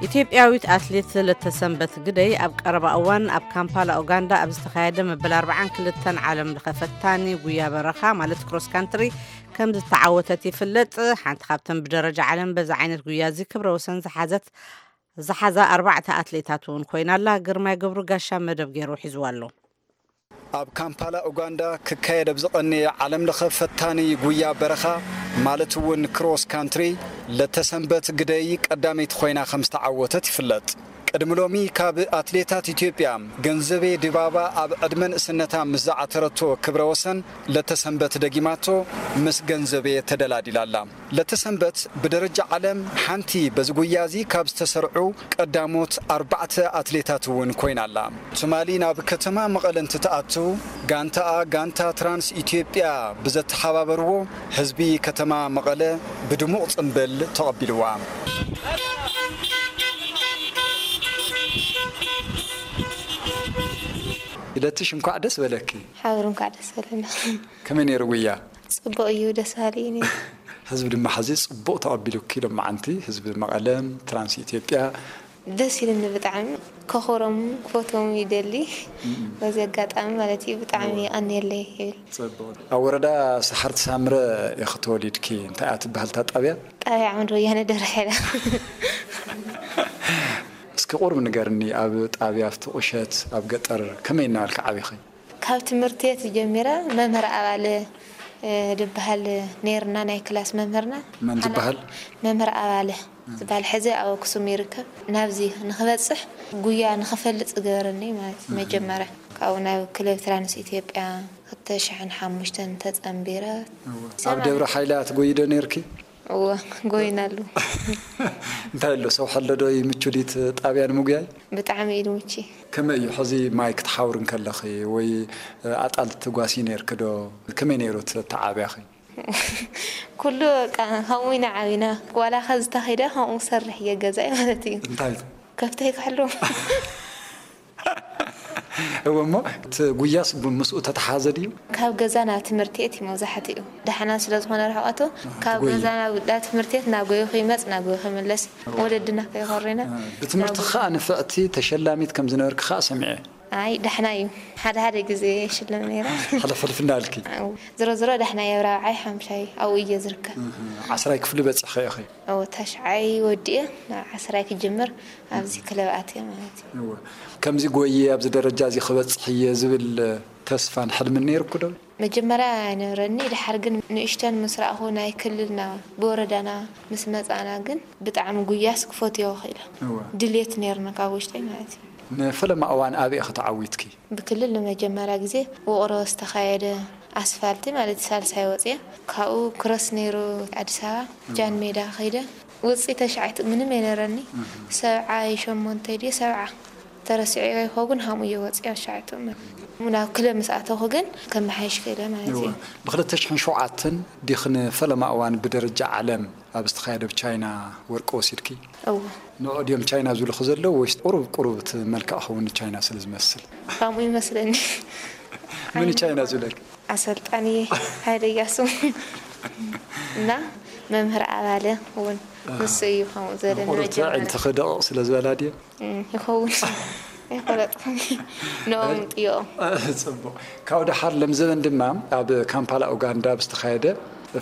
ኢትዮጵያዊት ኣትሌት ለተሰንበት ግደይ ኣብ ቀረባ እዋን ኣብ ካምፓላ ኡጋንዳ ኣብ ዝተኻየደ መበል ኣርባዓን ክልተን ዓለም ለኸ ፈታኒ ጉያ በረኻ ማለት ክሮስ ካንትሪ ከም ዝተዓወተት ይፍለጥ። ሓንቲ ካብተን ብደረጃ ዓለም በዚ ዓይነት ጉያ እዚ ክብረ ወሰን ዝሓዘት ዝሓዛ ኣርባዕተ ኣትሌታት እውን ኮይና ኣላ። ግርማይ ገብሩ ጋሻ መደብ ገይሩ ሒዝዋ ኣሎ። ኣብ ካምፓላ ኡጋንዳ ክካየድ ኣብ ዝቐነየ ዓለም ለኸ ፈታኒ ጉያ በረኻ ማለት እውን ክሮስ ካንትሪ ለተሰንበት ግደይ ቀዳመይቲ ኮይና ከም ዝተዓወተት ይፍለጥ። ቅድሚ ሎሚ ካብ ኣትሌታት ኢትዮጵያ ገንዘቤ ድባባ ኣብ ዕድመ ንእስነታ ምስ ዝዓተረቶ ክብረ ወሰን ለተሰንበት ደጊማቶ ምስ ገንዘቤ ተደላዲላ ኣላ። ለተሰንበት ብደረጃ ዓለም ሓንቲ በዚ ጉያ እዚ ካብ ዝተሰርዑ ቀዳሞት ኣርባዕተ ኣትሌታት እውን ኮይና ኣላ። ትማሊ ናብ ከተማ መቐለ እንትትኣቱ ጋንታኣ ጋንታ ትራንስ ኢትዮጵያ ብዘተሓባበርዎ ህዝቢ ከተማ መቐለ ብድሙቕ ጽምብል ተቐቢልዋ። ኢለትሽ እንኳዕ ደስ በለኪ። ሓብር እንኳዕ ደስ በለና። ከመይ ነይሩ ጉያ? ጽቡቕ እዩ፣ ደስ በሃሊ እዩ ነይሩ። ህዝቢ ድማ ሕዚ ጽቡቕ ተቐቢሉኪ ሎማዓንቲ ህዝቢ መቐለም ትራንስ ኢትዮጵያ። ደስ ኢሉኒ ብጣዕሚ። ከኽብሮም ክፈትዎም ይደሊ። በዚ ኣጋጣሚ ማለት እዩ ብጣዕሚ የቐንየለይ ይብል። ጽቡቕ። ኣብ ወረዳ ሰሓርቲ ሳምረ ኢኺ ተወሊድኪ። እንታይ እያ ትበሃል እታ ጣብያ? ጣብያ ዓምዲ ወያነ ደብረ ሓይላ። እስኪ ቁሩብ ንገርኒ፣ ኣብ ጣብያ ኣብቲ ቁሸት ኣብ ገጠር ከመይ እናበልኪ ዓቢኺ? ካብ ትምህርቲ ቤት ጀሚረ መምህር ኣባለ ዝበሃል ነይርና ናይ ክላስ መምህርና። መን ዝበሃል? መምህር ኣባለ ዝበሃል ሕዚ ኣብ ኣክሱም ይርከብ። ናብዚ ንክበፅሕ ጉያ ንክፈልጥ ዝገበረኒ ማለት እዩ። መጀመርያ ካብኡ ናብ ክለብ ትራንስ ኢትዮጵያ ክልተ ሽሕን ሓሙሽተን ተፀንቢረ። ኣብ ደብረ ሓይላ ትጎይዶ ነይርኪ? እወ፣ ጎይናሉ። እንታይ ኣሎ፣ ሰውሒ ኣሎ ዶ? ይምቹ ድዩ እቲ ጣብያ ንምጉያይ? ብጣዕሚ እዩ ድምቺ። ከመይ እዩ ሕዚ ማይ ክትሓውሪ እንከለኺ ወይ ኣጣል ትጓሲ ነይርኪ ዶ? ከመይ ነይሩ እቲ ኣተዓብያኺ? ኩሉ በቃ ከምኡ ኢና ዓቢና። ዋላ ከዚ ተኺደ ከምኡ ክሰርሕ እየ ገዛይ ማለት እዩ። እንታይ? ከብተይ ክሕሉ። እወ፣ እሞ እቲ ጉያስ ብ-፣ ምስኡ ተተሓዘ ድዩ? ካብ ገዛ ናብ ትምህርቲ እቲ መብዛሕትኡ ደሓና ስለ ዝኾነ ርሕቀቱ፣ ካብ ትጎይ። ገዛ ናብ ናብ ትምህርቲ ቤት ናብ ጎይኹ ይመጽ ናብ ጎይኹ ይምለስ። ወለድና ከይኮሪና። ብትምህርቲ ከዓ ንፍዕቲ ተሸላሚት ከም ዝነበርኪ ከዓ ሰሚዐ። ኣይ ዳሕና እዩ። ሓደ ሓደ ግዜ ሽለም ነይረ። ሕልፍ ሕልፍ እንዳልኪ። ዝሮ ዝሮ ዳሕና እየ፣ ራብዓይ ሓምሻይ ኣብኡ እየ ዝርከብ። ዓስራይ ክፍሊ በፂኺ ኢኺ? ኦ፣ ታሽዓይ ወዲኤ ናብ ዓስራይ ክጅምር ኣብዚ ክለብ ኣትየ ማለት እዩ። እወ። ከምዚ ጎየ ኣብዚ ደረጃ እዚ ክበፅሕ እየ ዝብል ተስፋን ሕልምን ነይርኩ ዶ? መጀመርያ ኣይነበረኒ፣ ድሓር ግን ንእሽተን ምስ ረኣኹ ናይ ክልልና ብወረዳና ምስ መጻና ግን ብጣዕሚ ጉያስ ክፈትዮ ክኢለ። እወ። ድልየት ነይርኒ ካብ ውሽጠይ ማለት እዩ። ንፈለማ እዋን ኣበይ ኢኺ ተዓዊትኪ? ብክልል ንመጀመርያ ግዜ ውቕሮ ዝተኻየደ ኣስፋልቲ ማለት ሳልሳይ ወፅየ። ካብኡ ክሮስ ነይሩ ኣዲስ ኣበባ ጃን ሜዳ ከይደ። ውፅኢ ተሽዓይት ምንም የነረኒ። ሰብዓይ ሸሞንተ ድየ ሰብዓ ተረሲዑ ይኸውን ሃምኡ እየ ወፅየ ኣሻዕቱ። ናብ ክለብ ምስ ኣተኹ ግን ከመሓይሽ ክእለ ማለት እዩ። ብክልተ ሽሕን ሸውዓተን ዲኽን ፈለማ እዋን ብደረጃ ዓለም ኣብ ዝተኻየደ ብቻይና ወርቂ ወሲድኪ? እዎ። ንዑ ድዮም ቻይና ዝብልኹ ዘለዉ ወይስ ቁሩብ ቁሩብ እቲ መልክዕ ኸውን ንቻይና ስለ ዝመስል? ከምኡ ይመስለኒ። ምን ቻይና ዝብለክ? ኣሰልጣኒ ሃይለ እያሱ እና መምህር ኣባለ እውን ንሱ እዩ ከምኡ ዝበለኒ ቁሩብ መጀመርያ። ትዕንትኺ ደቕቕ ስለ ዝበላ ድየ? እም፣ ይኸውን። ኣይፈለጥኩን። ንኦም ጥዮኦም። ጽቡቕ። ካብኡ ደሓር ለምዘበን ድማ ኣብ ካምፓላ ኡጋንዳ ብዝተኻየደ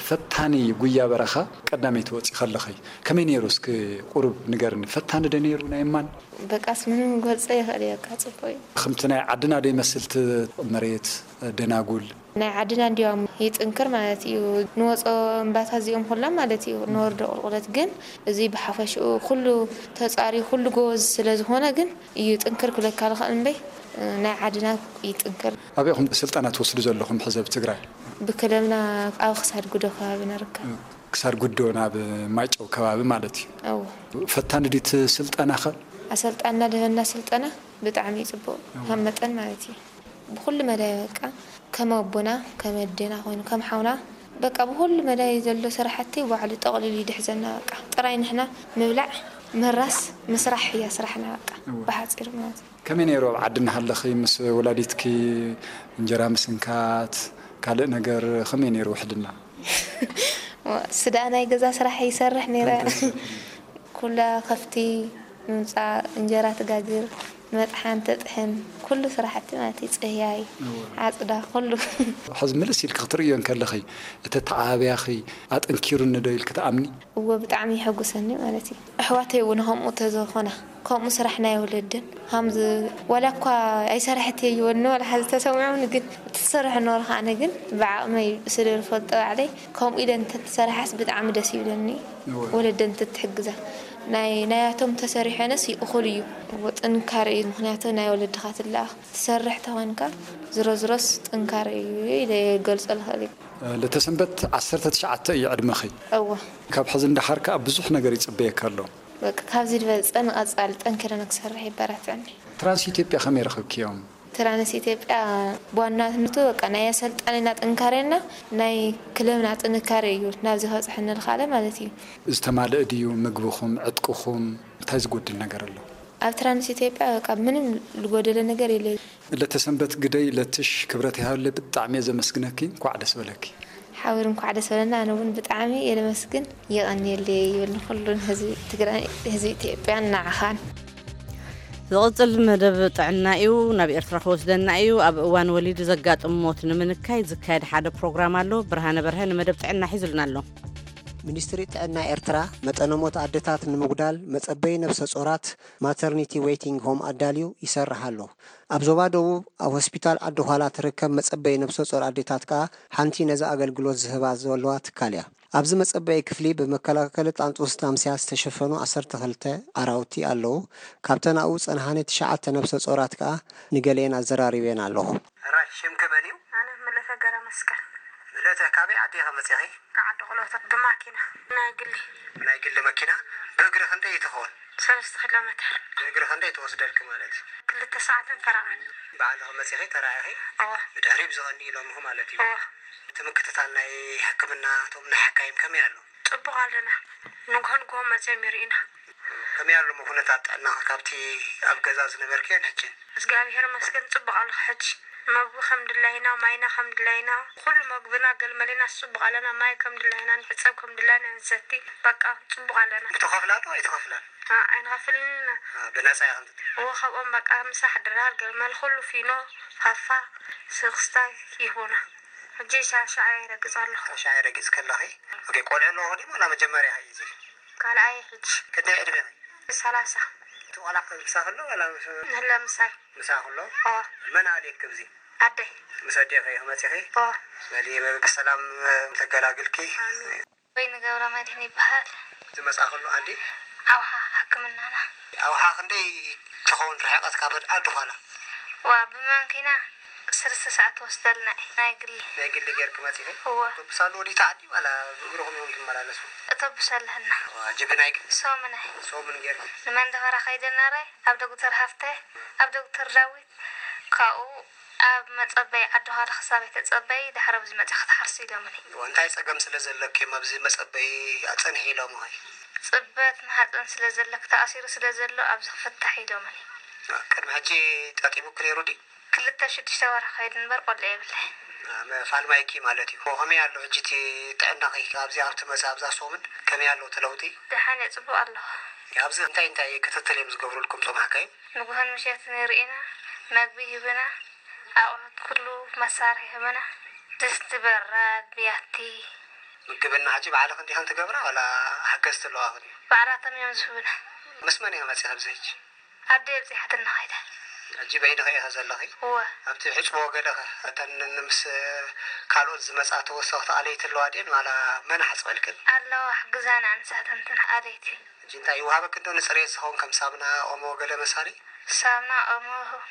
ፈታኒ ጉያ በረኻ ቀዳመይቲ ወፂ ከለኺ ከመይ ነይሩ? እስኪ ቁሩብ ንገርኒ። ፈታኒ ዶ ነይሩ ናይ እማን? በቃስ ምንም ገልጸ ይኽእል እየ፣ በቃ ጽቡቕ እዩ። ከምቲ ናይ ዓድና ዶ ይመስል እቲ መሬት ደናጉል? ናይ ዓድና እንዲያውም ይጥንክር ማለት እዩ። ንወጾ እምባታት እዚኦም ኩሎም ማለት እዩ፣ ንወርዶ ቁልቁለት። ግን እዚ ብሓፈሽኡ ኩሉ ተጻሪ ኩሉ ጎበዝ ስለ ዝኾነ ግን እዩ ጥንክር ክብለካ ልኽእል እምበይ፣ ናይ ዓድና ይጥንክር። ኣበይ ኢኹም ስልጠና ትወስዱ ዘለኹም ሕዚ ኣብ ትግራይ? ብክለብና ኣብ ክሳድ ጉዶ ከባቢ ንርከብ። ክሳድ ጉዶ ናብ ማይጨው ከባቢ ማለት እዩ። እዎ። ፈታኒ ድዩ እቲ ስልጠናኸ? ኣሰልጣንና ደበና ስልጠና ብጣዕሚ እዩ ጽቡቕ፣ ካብ መጠን ማለት እዩ። ብኹሉ መዳይ በቃ ከም ኣቦና፣ ከም ኣዴና ኮይኑ፣ ከም ሓውና በቃ ብኹሉ መዳይ ዘሎ ስራሕቲ ባዕሉ ጠቕሊሉ ይድሕዘና። በቃ ጥራይ ንሕና ምብላዕ፣ ምራስ፣ ምስራሕ እያ ስራሕና። በቃ እወ። ብሓፂር ማለት እዩ። ከመይ ነይሩ ኣብ ዓዲ እናሃለኺ ምስ ወላዲትኪ እንጀራ ምስንካት ካልእ ነገር ከመይ ነይሩ ውሕልና? ስዳ ናይ ገዛ ስራሕ ይሰርሕ ነይረ። ኩላ ከፍቲ ምምፃእ፣ እንጀራ ትጋግር፣ መጥሓን ተጥሕን፣ ኩሉ ስራሕቲ ማለት እዩ። ፅህያይ፣ እወ። ዓፅዳ፣ ኩሉ። ሕዚ ምልስ ኢልኪ ክትርእዮ እንከለኺ እቲ ተዓብያኺ ኣጠንኪሩኒ ዶ ኢልኪ ትኣምኒ? እወ ብጣዕሚ የሐጉሰኒ ማለት እዩ። ኣሕዋተይ እውን ከምኡ ተዘኾና ከምኡ ስራሕ ናይ ወለድን ከምዚ ዋላ እኳ ኣይሰራሕት እየ ይበልኒ ዋላ ሓዚ ተሰሚዖምኒ ግን እቲ ዝሰርሕ ነበርካ ኣነ ግን ብዓቕመይ ስለ ዝፈልጦ ባዕለይ ከምኡ ኢለ እንተትሰርሓስ ብጣዕሚ ደስ ይብለኒ። እወ። ወለደን እንተትሕግዛ ናይ ናያቶም ተሰሪሐንስ ይእኹል እዩ። እወ ጥንካረ እዩ ምክንያቱ ናይ ወለድኻ ትለኣኽ ትሰርሕ ተኾንካ ዝሮ ዝሮስ ጥንካረ እዩ ኢለ ገልጾ ልኽእል እዩ። ለተሰንበት ዓሰርተ ትሽዓተ እዩ ዕድመኺ። እወ። ካብ ሕዚ እንዳሓር ከዓ ብዙሕ ነገር ይፅበየካ ኣሎ። በቃ ካብዚ ዝበለፀ ንቐፃሊ ጠንኪረ ንክሰርሕ ይበራትዕኒ። ትራንስ ኢትዮጵያ ከመይ ረኸብክዮም? ትራንስ ኢትዮጵያ ብዋናነቱ በቃ ናይ ኣሰልጣኒና ጥንካሬና ናይ ክለብና ጥንካሬ እዩ ናብዚ ከብፅሐኒ ልኽኣለ ማለት እዩ። ዝተማልእ ድዩ ምግብኹም ዕጥቅኹም? እንታይ ዝጎድል ነገር ኣሎ? ኣብ ትራንስ ኢትዮጵያ በቃ ምንም ዝጎደለ ነገር የለ። ለተሰንበት ግደይ ለትሽ ክብረት ይሃብለ ብጣዕሚ እየ ዘመስግነኪ። እንኳዕ ደስ በለኪ። ሓዊር እንኳዕ ደስ በለና። ኣነ እውን ብጣዕሚ እየ ለመስግን። የቐንየለይ ይብል ንኩሉን ህዝቢ ትግራይ ህዝቢ ኢትዮጵያን ንዓኻን። ዝቕጽል መደብ ጥዕና እዩ። ናብ ኤርትራ ክወስደና እዩ። ኣብ እዋን ወሊድ ዘጋጥም ሞት ንምንካይ ዝካየድ ሓደ ፕሮግራም ኣሎ። ብርሃነ በርሀ ንመደብ ጥዕና ሒዙልና ኣሎ። ሚኒስትሪ ጥዕና ኤርትራ መጠነ ሞት ኣደታት ንምጉዳል መጸበዪ ነብሰ ጾራት ማተርኒቲ ዌይቲንግ ሆም ኣዳልዩ ይሰርሕ ኣሎ። ኣብ ዞባ ደቡብ ኣብ ሆስፒታል ዓዲ ዃላ ትርከብ መጸበዪ ነብሰ ጾር ኣዴታት ከኣ ሓንቲ ነዚ ኣገልግሎት ዝህባ ዘለዋ ትካል እያ። ኣብዚ መጸበዪ ክፍሊ ብመከላከሊ ጣንጡስ ታምስያ ዝተሸፈኑ ዓሰርተ ክልተ ኣራውቲ ኣለዉ። ካብተን ኣብኡ ዝጸንሓኒ ትሽዓተ ነብሰ ጾራት ከኣ ንገሊአን ኣዘራሪበን ኣለኹ። ሕራይ ሽምኪ መን እዩ? ኣነ ምለተ ገረመስቀል። ምለ እቲ ካበይ ዓዲ ኢኺ መፂኺ? ካብ ዓዲ ቆሎታት ብማኪና ናይ ግሊ። ናይ ግሊ መኪና። ብእግሪ ክንደይ ትኸውን? ሰለስተ ኪሎ ሜትር። ብእግሪ ክንደይ ትወስደልኪ ማለት እዩ? ክልተ ሰዓትን ፈረቓን። ባዕልኺ መፂኺ ተራኢኺ? እወ። ብድሕሪ ብዝቐኒ ኢሎምኺ ማለት እዩ? እወ። እቲ ምክትታል ናይ ሕክምና እቶም ናይ ሓካይም ከመይ ኣሎ? ጽቡቕ ኣለና። ንግሆ ንግሆ መጺኦም ይርእዩና። ከመይ ኣሎ ኩነታት ጥዕናኺ ካብቲ ኣብ ገዛ ዝነበርክዮን ሕጂ? እግዚኣብሔር ይመስገን ጽቡቕ ኣለኹ ሕጂ። መግቢ ከም ድላይና፣ ማይና ከም ድላይና፣ ኩሉ መግብና ገልመሌና ጽቡቕ ኣለና። ማይ ከም ድላይና ንሕጸብ፣ ከም ድላይና ንሰቲ። በቃ ጽቡቕ ኣለና። ብትኸፍላ ዶ ኣይትኸፍላን? ኣ፣ ኣይንኸፍልን ኢና። ኣ፣ ብነጻ ኢኽን ትጥቀማ? እወ፣ ካብኦም በቃ ምሳሕ ድራር፣ ገልመል፣ ኩሉ ፊኖ፣ ፋፋ፣ ስኽስታይ ይህቡና። ሕጂ ሻሻ ይረግጽ ኣለኹ። ሻሻ ይረግጽ ከለኺ? ኦኬ፣ ቆልዑ ኣለዎ ድዩ? ዋላ መጀመርያ እዩ እዚ? ካልኣይ ሕጂ። ክንደይ ዕድሜኺ? ሰላሳ። እቲ ቆልዓ ምሳኺ ኣሎ ዋላ ምስ ንህለ ምሳይ። ምሳኺ ኣሎ? ኦ። መን ኣልየኪ ኣብዚ? ኣደይ። ምስ ኣዴኺ ኢኺ መጺኺ? ኦ። በሊ ብሰላም ተገላግልኪ። ኣሜን። ወይኒ ገብረመድህን ይበሃል። ዝመጻእክሉ ዓዲ? ኣውሓ ሕክምናና። ኣውሓ ክንደይ ትኸውን ርሕቐት ካብ ዓዲ ዃላ? ዋ፣ ብመኪና ሰለስተ ሰዓት ትወስደልና እያ፣ ናይ ግሊ። ናይ ግሊ ጌርኪ መጺኺ? እወ። ኣውቶቡስ ኣሎ ወዲእቲ ዓዲ ዋላ ብእግርኹም ኢኹም ትመላለሱ? ኣውቶቡስ ኣለና። ዋ፣ ጅብናይ ግን? ሶምናይ። ሶምን ጌርኪ? ንመንደፈራ ከይደ ነረ፣ ኣብ ዶክተር ሃፍተ፣ ኣብ ዶክተር ዳዊት፣ ካብኡ ኣብ መጸበይ ዓዲ ዃላ ክሳብ ኣይተጸበይ፣ ድሕሪ ኣብዚ መጺኺ ክትሓርሲ ኢሎምኒ። እወ፣ እንታይ ጸገም ስለ ዘለኪ እዮም ኣብዚ መጸበይ ኣጸንሒ ኢሎምኺ? ጽበት ማህጸን ስለ ዘለኪ፣ ተኣሲሩ ስለ ዘሎ ኣብዚ ክፍታሕ ኢሎምኒ። ቅድሚ ሕጂ ጠጢሙኪ ነይሩ ድዩ? ክልተ ሽዱሽተ ወርሒ ከይዱ እምበር ቆልዓ የብለይ። መፋልማይኪ ማለት እዩ። ከመይ ኣሎ ሕጂ እቲ ጥዕናኺ? ኣብዚ ኣብ ትመጽእ ኣብዛ ሶምን ከመይ ኣሎ እቲ ለውጢ? ደሓን እየ፣ ጽቡቕ ኣለኹ። ኣብዚ እንታይ እንታይ ክትትል እዮም ዝገብሩልኩም እቶም ሓካይም? ንግሆን ምሸትን ይርእዩና፣ መግቢ ይህቡና፣ ኣቑሑት ኩሉ መሳርሒ ይህቡና፣ ድስቲ፣ በራድ፣ ብያቲ። ምግብና ሕጂ ባዕልኽን ዲኽን ትገብራ ዋላ ሓገዝቲ ኣለዋኽን እዩ? ባዕላቶም እዮም ዝህቡና። ምስ መን ኢኺ መጺኺ ኣብዚ ሕጂ? ኣደይ ኣብጺሓትና ኸይዳ። ሕጂ በይንኺ ኢኺ ዘለኺ? እወ። ኣብቲ ሕጽቦ ገለ ኸ እተን ምስ ካልኦት ዝመጻ ተወሰኽቲ ኣለይቲ ኣለዋ ድየን ዋላ መን ሓጽበልክን? ኣለዋ፣ ሕግዛና ንሳተን እተን ኣለይቲ። ሕጂ እንታይ ይወሃበክን ዶ ንጽሬት ዝኸውን ከም ሳምና፣ ኦሞ ገለ መሳሊ? ሳምና፣ ኦሞ፣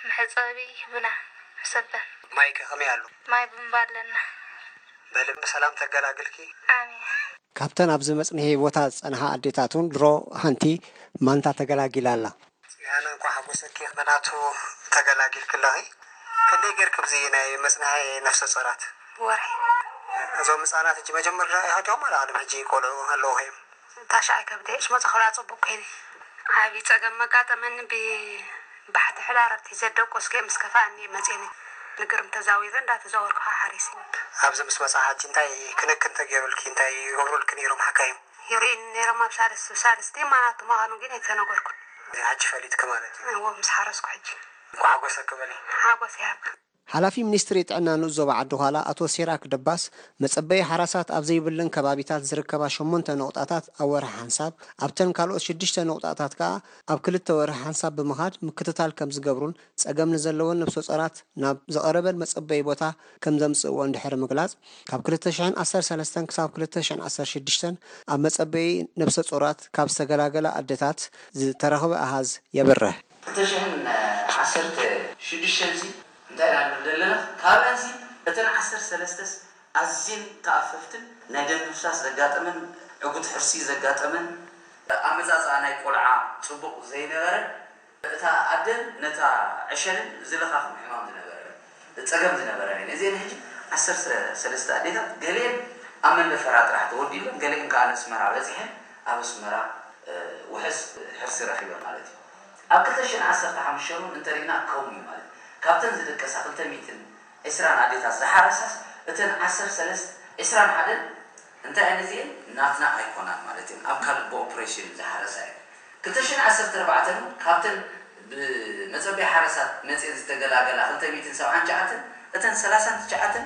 መሕጸቢ ይህቡና ሰበን። ማይ ከ ከመይ ኣሎ? ማይ ቡምባ ኣለና። በሊ ብሰላም ተገላግልኪ። ኣሜን። ካብተን ኣብዚ መጽንሒ ቦታ ዝጸንሓ ኣዴታት እውን ድሮ ሓንቲ ማንታ ተገላጊላ ኣላ። ጽዮን እንኳዕ ሓጎሰኪ፣ ምኽንያቱ ተገላጊልኪ ኣለኺ። ክንደይ ጌርኪ ኣብዚ ናይ መጽንሒ ነፍሰ ጾራት? ወርሒ። እዞም ህጻናት ሕጂ መጀመርያ ኢኻ ዲኹም ዋላ ቅድሚ ሕጂ ቆልዑ ኣለዉ እዮም? ታሽዓይ ከብደ እሽ መጽ ኸላ ጽቡቅ ኮይነ። ዓቢ ጸገም መጋጠመኒ ብ ባሕቲ ሕዳር ኣብቲ ዘደቆስ ገ ምስ ከፋእኒ መጽኒ። ንግርም ተዛዊረ እንዳተዛወርኩ ሓሪሲ። ኣብዚ ምስ መጻ ሕጂ እንታይ ክንክን ተገይሩልኪ? እንታይ ይገብሩልኪ ነይሮም ሓካይም? ይርእዩኒ ነይሮም ኣብ ሳልስ፣ ሳልስቲ ማቱ ምዃኑ ግን ኣይተነገርኩን። ሕጂ ፈሊጥኪ ማለት እዩ? እዎ፣ ምስ ሓረስኩ ሕጂ። እንኳዕ ሓጎሰኪ በሊ። ሓጎስ ይሃብ። ሓላፊ ሚኒስትሪ ጥዕና ንኡስ ዞባ ዓዲ ዃላ ኣቶ ሲራክ ደባስ፣ መጸበዪ ሓራሳት ኣብ ዘይብለን ከባቢታት ዝርከባ ሸሞንተ ነቑጣታት ኣብ ወርሒ ሓንሳብ፣ ኣብተን ካልኦት ሽዱሽተ ነቑጣታት ከኣ ኣብ ክልተ ወርሒ ሓንሳብ ብምኻድ ምክትታል ከም ዝገብሩን ጸገም ንዘለወን ነብሰ ጾራት ናብ ዝቐረበን መጸበዪ ቦታ ከም ዘምጽእወን ድሕሪ ምግላጽ፣ ካብ ክልተ ሽሕን ዓሰርተ ሰለስተን ክሳብ ክልተ ሽሕን ዓሰርተ ሽዱሽተን ኣብ መጸበዪ ነብሰ ጾራት ካብ ዝተገላገላ ኣደታት ዝተረኽበ ኣሃዝ የብርህ። ክልተ ሽሕን ዓሰርተ ሽዱሽተ እዚ እንታይ ኢና ንብል ዘለና? ካብኣንሲ እተን ዓሰርተ ሰለስተስ ኣዝየን ተኣፈፍትን ናይ ደም ምፍሳስ ዘጋጠመን፣ ዕጉት ሕርሲ ዘጋጠመን፣ ኣመጻጽኣ ናይ ቆልዓ ጽቡቕ ዘይነበረ፣ እታ ኣደን ነታ ዕሸልን ዝለኻኽም ሕማም ዝነበረ፣ ጸገም ዝነበረን እየን። እዚአን ሕጂ ዓሰርተ ሰለስተ ኣዴታት፣ ገሊአን ኣብ መንደፈራ ጥራሕ ተወዲበን፣ ገሊአን ከኣ ንኣስመራ በጺሐን፣ ኣብ ኣስመራ፣ እ፣ ውሑስ ሕርሲ ረኺበን ማለት እዩ። ኣብ ክልተ ሽሕን ዓሰርተ ሓሙሽተ እውን እንተሪእና ከምኡ እዩ ማለት እዩ። ካብተን ዝደቀሳ ክልተ ሚእትን ዕስራን ኣዴታት ዝሓረሳስ፣ እተን ዓሰርተ ሰለስተ፣ ዕስራን ሓደን እንታይ እየን እዚአን? ናትና ኣይኮናን ማለት እየን። ኣብ ካልእ ብኦፕሬሽን እዩ ዝሓረሳ እየን። ክልተ ሽሕን ዓሰርተ ኣርባዕተን እውን ካብተን ብመጸበይ ሓረሳት መጽየን ዝተገላገላ ክልተ ሚእትን ሰብዓን ትሽዓተን፣ እተን ሰላሳን ትሽዓተን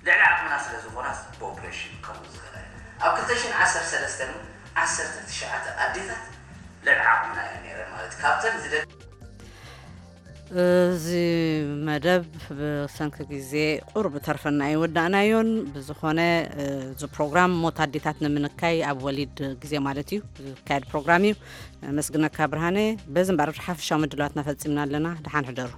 ልዕሊ ዓቕምና ስለ ዝኾና ብኦፕሬሽን ከምኡ ዝኸዳ እየን። ኣብ ክልተ ሽሕን ዓሰርተ ሰለስተን እውን ዓሰርተ ትሽዓተ ኣዴታት ልዕሊ ዓቕምና እየን ነይረን ማለት እዩ። ካብተን ዝደ- እዚ መደብ ብሰንኪ ግዜ ቁሩብ ተርፈና ኣይወዳእናዮን። ብዝኾነ፣ እዚ ፕሮግራም ሞት ኣዴታት ንምንካይ ኣብ ወሊድ ግዜ ማለት እዩ ዝካየድ ፕሮግራም እዩ። ኣመስግነካ ብርሃነ። በዚ እምበኣር ሓፈሻዊ ምድላዋትና ፈጺምና ኣለና። ደሓን ሕደሩ።